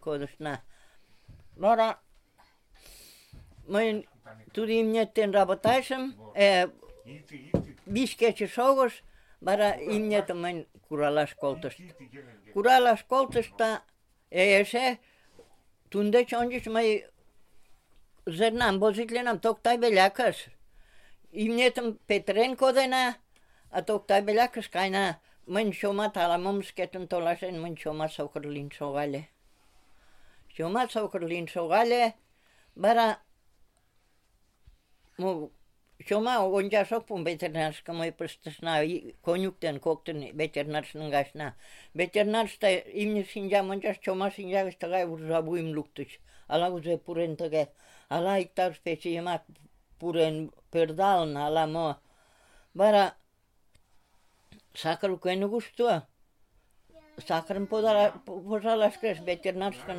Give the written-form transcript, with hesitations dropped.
Kodosna. Vara, mä tulin mietten rabotaisen, viiskeetse sougos, vara imnietä mä kuralaskoltosta. Kuralaskoltosta, ja se tundet onjus mä zernam bozitlenam toktai veljakas. Imnietem Petren kodena, a toktai veljakas kaina, mä shoma talamomsketen tolasen, mä shoma saukerlin sogale. Shoma saukerlin sogale, bara mu shoma onja sopun veterinärska moi prestasna konjukten kokten veterinarsnan gasna. Veterinärsta imnisin ja monjas shoma sin ja stagai urzabuim luktus. Ala uze puren tage. Ala iktar speciema puren perdalna ala mo. Bara sakaru kenu gustua. Sakaran podala posalas kres veterinärska